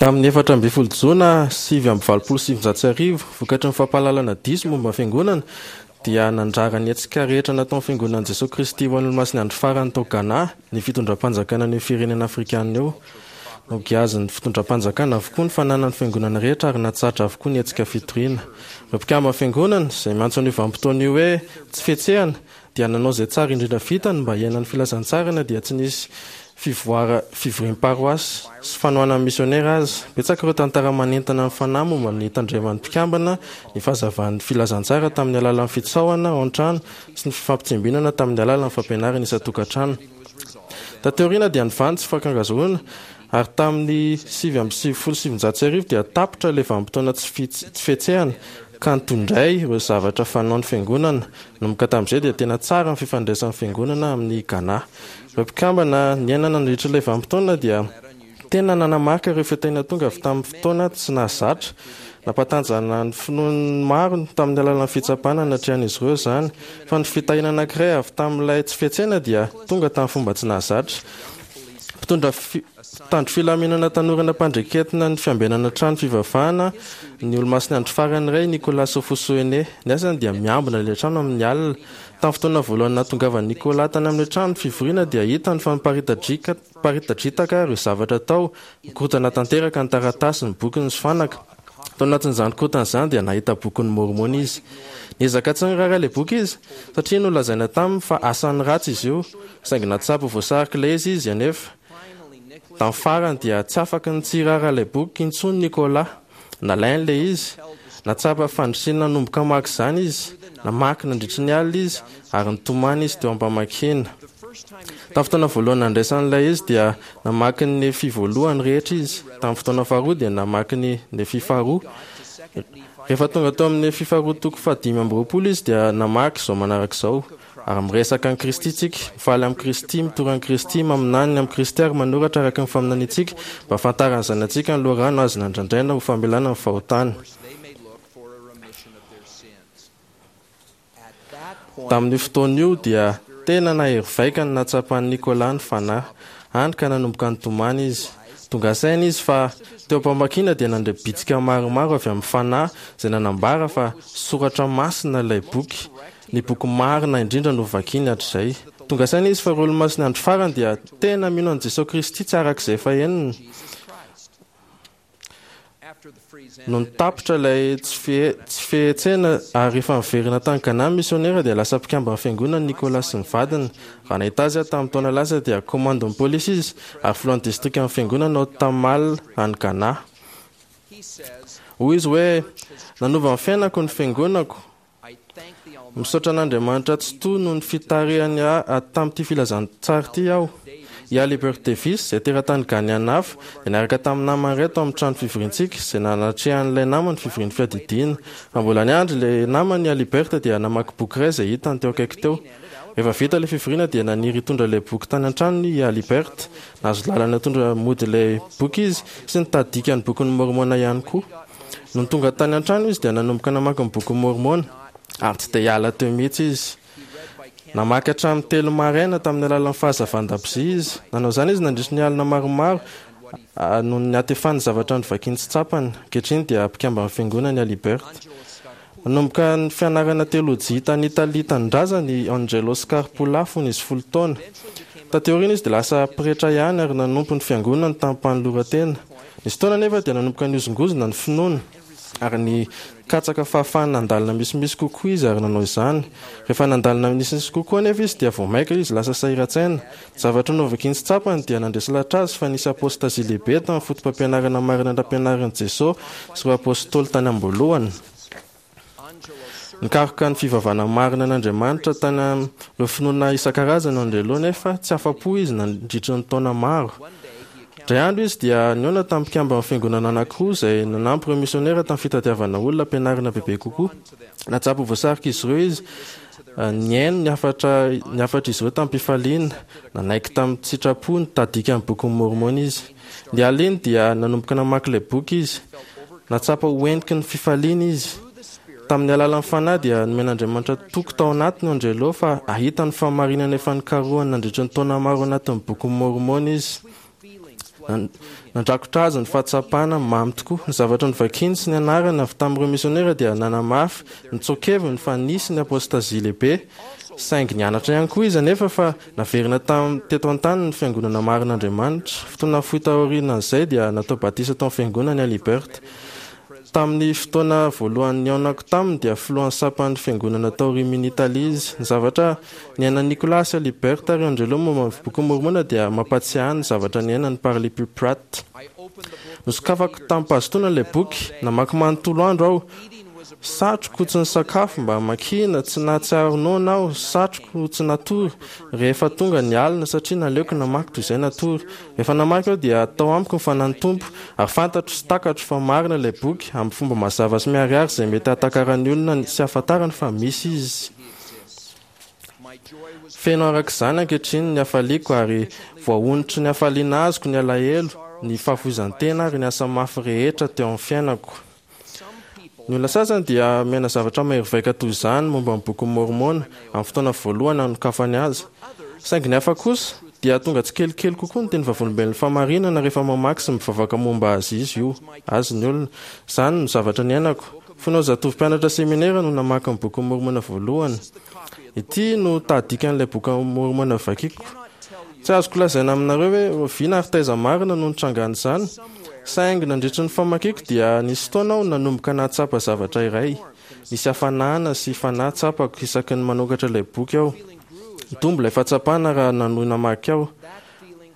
Tamin'ny 14 Jona 1989, vokatry ny fampahalalana diso momba ny Fiangonana, dia nandrara ny hetsika rehetra nataon'ny Fiangonan'i Jesoa Kristy ho an'ny Olomasin'ny Andro Farany tao Ghana ny fitondram-panjakana an'io firenena afrikana io. Nogiazin'ny fitondram-panjakana avokoa ny fananan'ny Fiangonana rehetra ary natsahatra avokoa ny hetsika fitoriana. Ireo mpikamban'ny Fiangonana, izay miantso an'io vanim-potoana io hoe tsy fihetsehana, dia nanao izay tsara indrindra vitany mba hiaina ny filazantsara na dia tsy nisy fivoara fivoriam-paroasy sy fanohanan'ny misionera aza. Betsaka ireo tantara manentana ny fanahy momba ny nitandreman'ny mpikambana ny fahazavan'ny filazantsara tamin'ny alalan'ny fitsaohana ao an-trano sy ny fifampitsimbinana tamin'ny alalan'ny fampianarana isan-tokantrano. Taty aoriana dia nivaha ny tsy fankangazoroana ary tamin'ny 1999 dia tapitra ilay vanim-potoana tsy fihetsehana ka nitondray ireo zavatra fanaon'ny Fiangonana. Nanomboka tamin'izay dia tena tsara ny fifandraisan'ny Fiangonana amin'i Ghana. Ireo mpikambana niaina nandritra ilay vanim-potoana dia tena nanamarika ireo fitahiana tonga avy tamin'ny fotoana tsy nahazatra. Nampatanjahana ny finoan'ny maro tamin'ny alalan'ny fitsapana natrehan'izy ireo izany. Fa ny fitahiana anankiray avy tamin'ilay tsy fihetsehana dia tonga tamin'ny fomba tsy nahazatra. Mpitondra mpitandro filaminana tanora nampandreketina ny fiambenana trano fivavahana ny Olomasin'ny Andro Farany iray, Nicolas Ofosuhene. Ny asany dia miambina ilay trano amin'ny alina. Tamin'ny fotoana voalohany nahatongavan'i Nicolas tany amin'ilay trano fivoriana dia hitany fa miparitadriaka miparitadritaka ireo zavatra tao, mikorontana tanteraka ny taratasy, ny bokiny sy fanaka. Tao anatin'izany korontana izany dia nahita bokin'i Môrmôna izy. Niezaka tsy niraharaha ilay boky izy, satria nolazaina taminy fa asan'ny ratsy izy io, saingy nahatsapa ho voasarik'ilay izy izy anefa. Tamin'ny farany dia tsy afaky ny tsy hiraharaha ilay boky intsony Nicolas. Nalainy ilay izy. Nahatsapa fandrisiana nanomboka hamaky izany izy. Namaky nandritry ny alina izy, ary nitomany izy teo am-pamakiana. Tamin'ny fotoana voalohany nandraisany ilay izy dia namaky ny Nefia voalohany rehetra izy. Tamin'ny fotoana faharoa dia namaky ny Nefia faharoa. Rehefa tonga tao amin'ny Nefia faharoa toko faha-25 izy dia namaky izao manaraka izao, Ary miresaka an'i Kristy tsika, mifaly amin'i Kristy, mitory an'i Kristy, maminany ny amin'i Kristy ary manoratra araka ny faminaniantsika mba hahafantaran'ny zanatsika ny loharano azo nandrandraina ho famelana ny fahotana. Tamin'io fotoana io dia tena nahery vaika ny nahatsapan'i Nicolas ny Fanahy, hany ka nanomboka nitomany izy. Tonga saina izy fa teo am-pamakiana dia nandre bitsika maromaro avy amin'ny Fanahy izay nanambara fa soratra masina ilay boky, ny boky marina indrindra novakiny hatrizay. Tonga saina izy fa ireo Olomasin'ny Andro Farany dia tena mino an'i Jesoa Kristy tsy araka izay efa henony. Nony tapitra ilay tsy fihetsehana ary rehefa niverina tany Ghana ny misionera dia lasa mpikamban'ny fiangonana Nicolas sy ny vadiny. Raha nahita azy aho tamin'ny taona lasa dia komandin'ny polisy izy ary filohan'ny distrikan'ny fiangonana ao Tamale any Ghana. Hoy izy hoe, Nanova ny fiainako ny fiangonako. Misaotra an'Andriamanitra Tsitoha noho ny fitarihany ahy tamin'ity filazantsara ity aho. I Alibert Davis, izay teratany Ghaneana hafa, dia niaraka tamin'ny namany iray tao amin'ny trano fivoriantsika, izay nanatrehan'ilay namany fivorian'ny fiadidiana. Raha mbola niandry ilay namany i Alibert dia namaky boky iray izay hitany teo akaiky teo. Rehefa vita ilay fivoriana dia naniry hitondra ilay boky tany an-tranony i Alibert. Nahazo lalana hitondra mody ilay boky izy sy nitady dikan'ny Bokin'i Môrmôna ihany koa. Nony tonga tany an-trano izy dia nanomboka namaky ny Bokin'i Môrmôna, ary tsy te hiala teo mihitsy izy. Namaky hatramin'ny telo maraina tamin'ny alalan'ny fahazavan-dakozia izy. Nanao izany izy nandritry ny alina maromaro noho ny hatefan'ny zavatra novakiany tsy tsapany. Ankehitriny dia mpikamban'ny Fiangonana i Alibert. Nanomboka ny fianarana teolojia tany Italia tanindrazany i Angelo Scarpulla fony izy folo taona. Taty aoriana izy dia lasa pretra ihany ary nanompo ny fiangonany tamim-panoloran-tena. Nisy fotoana anefa dia nanomboka nihozongozona ny finoany ary nikatsaka fahafahana nandalina misimisy kokoa izy ary nanao izany. Rehefa nandalina misimisy kokoa anefa izy dia vao mainka izy lasa sahiran-tsaina. Zavatra novakiny sy tsapany dia nandresy lahatra azy fa nisy apôstazia lehibe tamin'ny fotopampianarana marina nampianarin'i Jesoa sy ireo apôstôly tany am-boalohany. Nikaroka ny fivavahana marina an'Andriamanitra tany amin'ireo finoana isan-karazany Andrelo nefa tsy afa-po izy nandritry ny taona maro. Indray andro izy dia nihaona tamin'ny mpikamban'ny fiangonana anankiroa izay nanampy ireo misionera tamin'ny fitadiavana olona ampianarina bebe kokoa. Nahatsapa ho voasarika izy ireo izy, nihaino ny hafatra ny hafatr'izy ireo tamim-pifaliana. Nanaiky tamin-tsitrapo nitady dikan'ny Bokin'i Môrmôna izy. Ny aliny dia nanomboka namaky ilay boky izy. Nahatsapa ho heniky ny fifaliana izy. Tamin'ny alalan'ny Fanahy dia nomen'Andriamanitra toky tao anatiny Angelo fa hahita ny fahamarinana efa nikarohany nandritra ny taona maro anatin'ny Bokin'i Môrmôna izy. Nandrakotra azy ny fahatsapana mamy tokoa. Ny zavatra novakiany sy nianarany avy tamin'ireo misionera dia nanamafy ny tsoa-keviny fa nisy ny apôstazia lehibe. Saingy nianatra ihany koa izy anefa fa naverina teto an-tany ny Fiangonana marin'Andriamanitra. Fotoana fohy taorian'izay dia natao batisa tao amin'ny Fiangonana i Alibert. Tamin'ny fotoana voalohany nihaonako taminy dia filohan'ny sampan'ny Fiangonana tao Rimini, Italia izy. Ny zavatra niainan'i Nicolas sy Alibert ary Angelo momba ny Bokin'i Môrmôna dia mampahatsiahy ahy ny zavatra niainan'i Parley P. Pratt. Nosokafako tamim-pahazotoana ilay boky. Namaky manontolo andro aho. Satriko tsy nisakafo mba hamakiana, tsy nahatsiaro noana aho, satriko tsy natory rehefa tonga ny alina satria naleoko namaky toy izay natory. Rehefa namaky aho dia tao amiko ny Fanahin'ny Tompo, ary fantatro sy takatro fa marina ilay boky, amin'ny fomba mazava sy miharihary izay mety hahatakaran'ny olona sy hahafantarany fa misy izy. Feno araka izany ankehitriny ny hafaliako ary voahonotry ny hafaliana azoko ny alahelo, ny fahafoizan-tena ary ny asa mafy rehetra teo amin'ny fiainako. Ny olona sasany dia miaina zavatra mahery vaika toy izany momba ny Bokin'i Môrmôna amin'ny fotoana voalohany hanokafany azy. Saingy ny hafa kosa dia tonga tsikelikely kokoa ny teny vavolombelon'ny fahamarinana rehefa mamaky sy mivavaka momba azy izy io, azy ny olona. Izany no zavatra niainako. Fony aho zatovo mpianatra seminera no namaky ny Bokin'i Môrmôna voalohany. Ity no tahadikan'ilay Bokin'i Môrmôna vakiko. Tsy azoko lazaina aminareo hoe oviana ary taiza marina no nitrangan'izany, saingy nandritry ny famakiako dia nisy fotoana aho nanomboka nahatsapa zavatra iray. Nisy hafanana sy fanahy tsapako isaky ny manokatra ilay boky aho. Nitombo ilay fahatsapana raha nanohy namaky aho,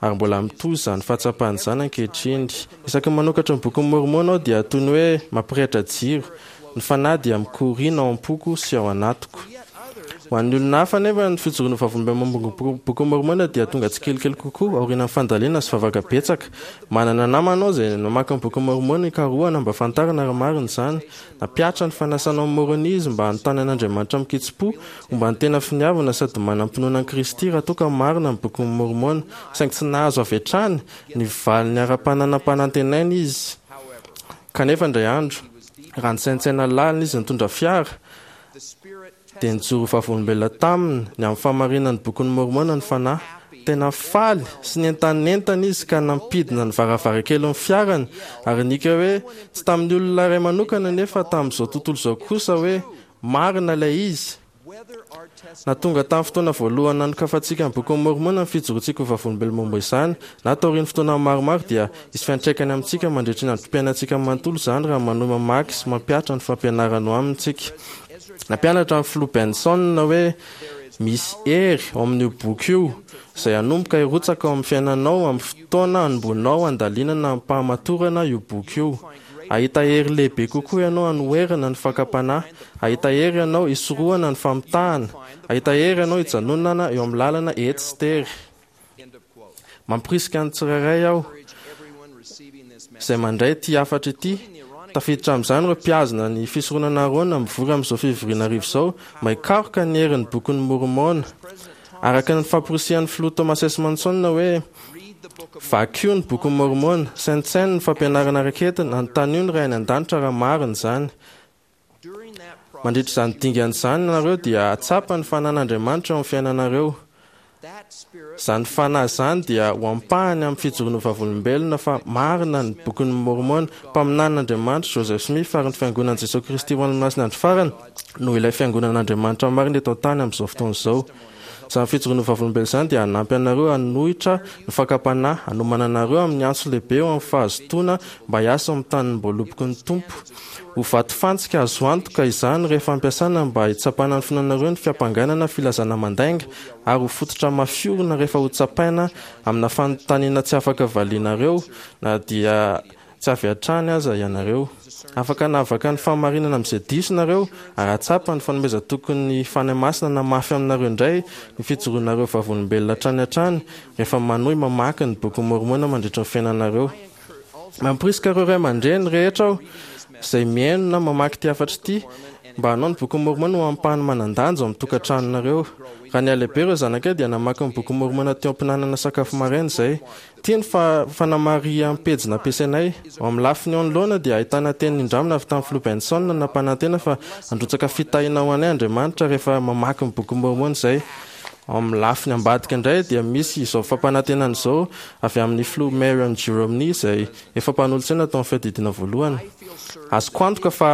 ary mbola mitohy izany fahatsapana izany ankehitriny. Isaky ny manokatra ny Bokin'i Môrmôna aho dia toy ny hoe mampirehitra jiro. Ny fanahy dia mikoriana ao am-poko sy ao anatiko. Ho an'ny olona hafa anefa, ny fijoroana ho vavolombelona momba ny Bokin'i Môrmôna dia tonga tsikelikely kokoa aorian'ny fandalinana sy vavaka betsaka. Manana namana aho izay namaky ny Bokin'i Môrmôna hikarohana mba hahafantarana raha marina izany. Nampihatra ny fanasanao amin'i Môrônia izy mba hanontany an'Andriamanitra amin-kitsim-po momba ny tena finiavana sady manam-pinoana an'i Kristy raha toa ka marina ny Bokin'i Môrmôna, saingy tsy nahazo avy hatrany ny valiny ara-panahy nampanantenaina izy. Kanefa indray andro, raha nisaintsaina lalina izy nitondra fiara, dia nijoro ho vavolombelona taminy ny amin'ny fahamarinan'ny Bokin'i Môrmôna ny Fanahy. Tena faly sy nientanentana izy ka nampidina ny varavarankelin'ny fiarany ary nihiaka hoe, tsy tamin'ny olona iray manokana anefa tamin'izao tontolo izao kosa hoe, Marina ilay izy! Na tonga tamin'ny fotoana voalohany nanokafantsika ny Bokin'i Môrmôna ny fijoroantsika ho vavolombelona momba izany, na taorian'ny fotoana maromaro, dia hisy fiantraikany amintsika mandritry ny androm-piainantsika manontolo izany raha manohy mamaky sy mampihatra ny fampianarany ao aminy isika. Nampianatra ny Filoha Benson hoe misy hery ao amin'io boky io izay hanomboka hirotsaka ao amin'ny fiainanao amin'ny fotoana hanomboanao handalinana amim-pahamatorana io boky io. Hahita hery lehibe kokoa ianao hanoherana ny fakam-panahy. Hahita hery ianao hisorohana ny famitahana. Hahita hery ianao hijanonana eo amin'ny lalana ety sy tery. Mamporisika ny tsirairay aho izay mandray ity hafatra ity, tafiditra amin'izany ireo mpihazona ny Fisoronana Aharôna mivory amin'izao fivoriana hariva izao, mba hikaroka ny herin'ny Bokin'i Môrmôna. Araka ny famporisihan'ny Filoha Thomas S. Monson hoe, Vakio ny Bokin'i Môrmôna, saintsaino ny fampianarana raketiny, anontanio ny Ray any An-danitra raha marina izany. Mandritra izany dingana izany ianareo dia hahatsapa ny fanan'Andriamanitra eo amin'ny fiainanareo. Izany fanahy izany dia ho ampahany amin'ny fijoroana ho vavolombelona fa marina ny Bokin'i Môrmôna. Mpaminanin'Andriamanitra Joseph Smith ary ny Fiangonan'i Jesoa Kristy ho an'ny Olomasin'ny Andro Farany no ilay Fiangonan'Andriamanitra marina eto an-tany amin'izao fotoana izao. Izany fijoroana ho vavolombelona izany dia hanampy anareo hanohitra ny fakam-panahy, hanomana anareo amin'ny antso lehibe ho amin'ny fahazotoana mba hiasa ao amin'ny tanim-boaloboky ny Tompo. Ho vatofantsika azo antoka izany rehefa ampiasana mba hitsapana ny finoanareo ny fiampangana na filazana mandainga, ary ho fototra mafiorina rehefa hotsapaina amina fanontaniana tsy afaka valianareo na dia Tsy avy hatrany aza ianareo. Afaka hanavaka ny fahamarinana amin'izay diso nareo ary hahatsapa ny fanomezan-tokin'ny Fanahy Masina hanamafy aminareo indray ny fijoroanareo vavolombelona hatrany hatrany rehefa manohy mamaky ny Bokin'i Môrmôna mandritra ny fiainanareo. Mamporisika ireo ray aman-dreny rehetra aho izay mihaino na mamaky ity hafatra ity mba hanao ny Bokin'i Môrmôna ho ampahany manan-danja ao amin'ny tokantranonareo. Raha nihalehibe ireo zanakay dia namaky ny Bokin'i Môrmôna teo am-pihinanana sakafo maraina izay. Ity ny fanamariham-pejy nampiasainay. Ao amin'ny lafiny eo anoloana dia ahitana teny nindramina avy tamin'ny Filoha Benson nampanantena fa handrotsaka fitahiana ho anay Andriamanitra rehefa mamaky ny Bokin'i Môrmôna izay. Ao amin'ny lafiny ambadika indray dia misy izao fampanantenana izao avy amin'ny Filoha Marion G. Romney izay efa mpanolotsaina tao amin'ny Fiadidiana Voalohany, Azoko antoka fa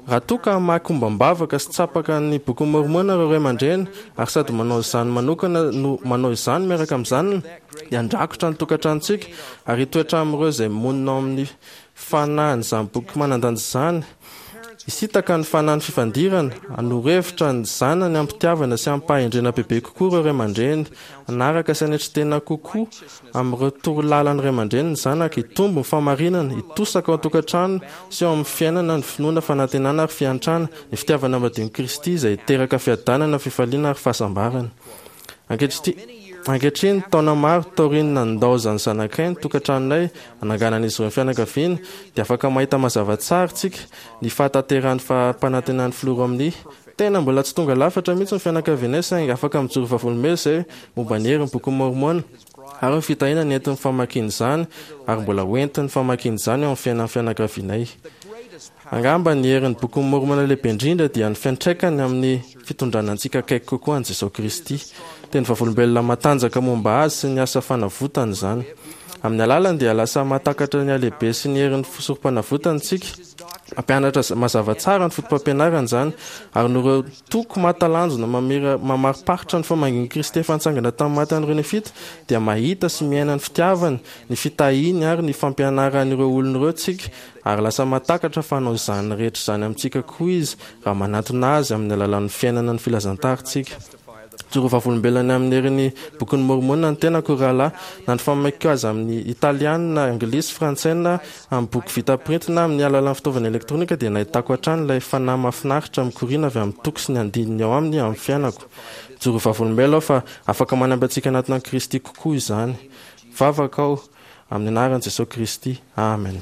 raha toa ka hamaky ombam-bavaka sy tsapaka ny Bokin'i Môrmôna ireo ray aman-dreny ary sady manao izany manokana no manao izany miaraka amin'ny zanany dia handrakotra ny tokantranontsika ary hitoetra amin'ireo izay monina ao amin'ny fanahin'izany boky manan-danja izany. Hisintaka ny fanahin'ny fifandirana, hanoro hevitra ny zanany amim-pitiavana sy amim-pahendrena bebe kokoa ireo ray aman-dreny, hanaraka sy hanetry tena kokoa amin'ireo toro lalan'ny ray aman-dreny ny zanaka, hitombo ny fahamarinana, hitosaka ao an-tokantrano sy ao amin'ny fiainana ny finoana, fanantenana ary fiantrana, ny fitiavana madion'i Kristy izay hiteraka fiadanana, fifaliana ary fahasambarana. Ankehitriny, taona maro taorian'ny nandaozan'ny zanakay ny tokantranonay hananganan'izy ireo ny fianakaviany, dia afaka mahita mazava tsara isika ny fahatanterahan'ny fampanantenan'ny Filoha Romney. Tena mbola tsy tonga lafatra mihitsy ny fianakavianay saingy afaka mijoro vavolombelona izay momba ny herin'ny Bokin'i Môrmôna ary ny fitahiana nentin'ny famakiana izany ary mbola hoentin'ny famakiana izany eo amin'ny fiainan'ny fianakavianay. Angamba ny herin'ny Bokin'i Môrmôna lehibe indrindra dia ny fiantraikany amin'ny fitondrana antsika akaiky kokoa an'i Jesoa Kristy. Teny vavolombelona matanjaka momba Azy sy ny asa fanavotany izany. Amin'ny alalany dia lasa mahatakatra ny halehibe sy ny herin'ny Sorompanavotany isika. Mampianatra mazava tsara ny fotopampianarany izany, ary noho ireo toko mahatalanjona mamira mamariparitra ny famangian'i Kristy efa nitsangana tamin'ny maty an'ireo Nefita, dia mahita sy miaina ny fitiavany, ny fitahiany ary ny fampianaran'ireo olona ireo isika Ary lasa mahatakatra fa hanao izany rehetra izany amintsika koa Izy raha manatona Azy amin'ny alalan'ny fiainana ny filazantaritsika. Mijoro ho vavolombelona ny amin'ny herin'ny Bokin'i Môrmôna ny tenako, ry rahalahy. Na ny famakiako azy amin'ny Italiana, Anglisy, Frantsay na amin'ny boky vita printy na amin'ny alalan'ny fitaovana elektronika dia nahitako hatrany ilay fanahy mahafinaritra mikoriana avy amin'ny toko sy ny andininy ao aminy amin'ny fiainako. Mijoro ho vavolombelona aho fa afaka manampy antsika hanatona an'i Kristy kokoa izany. Vavaka aho. Amin'ny anaran'i Jesoa Kristy. Amen.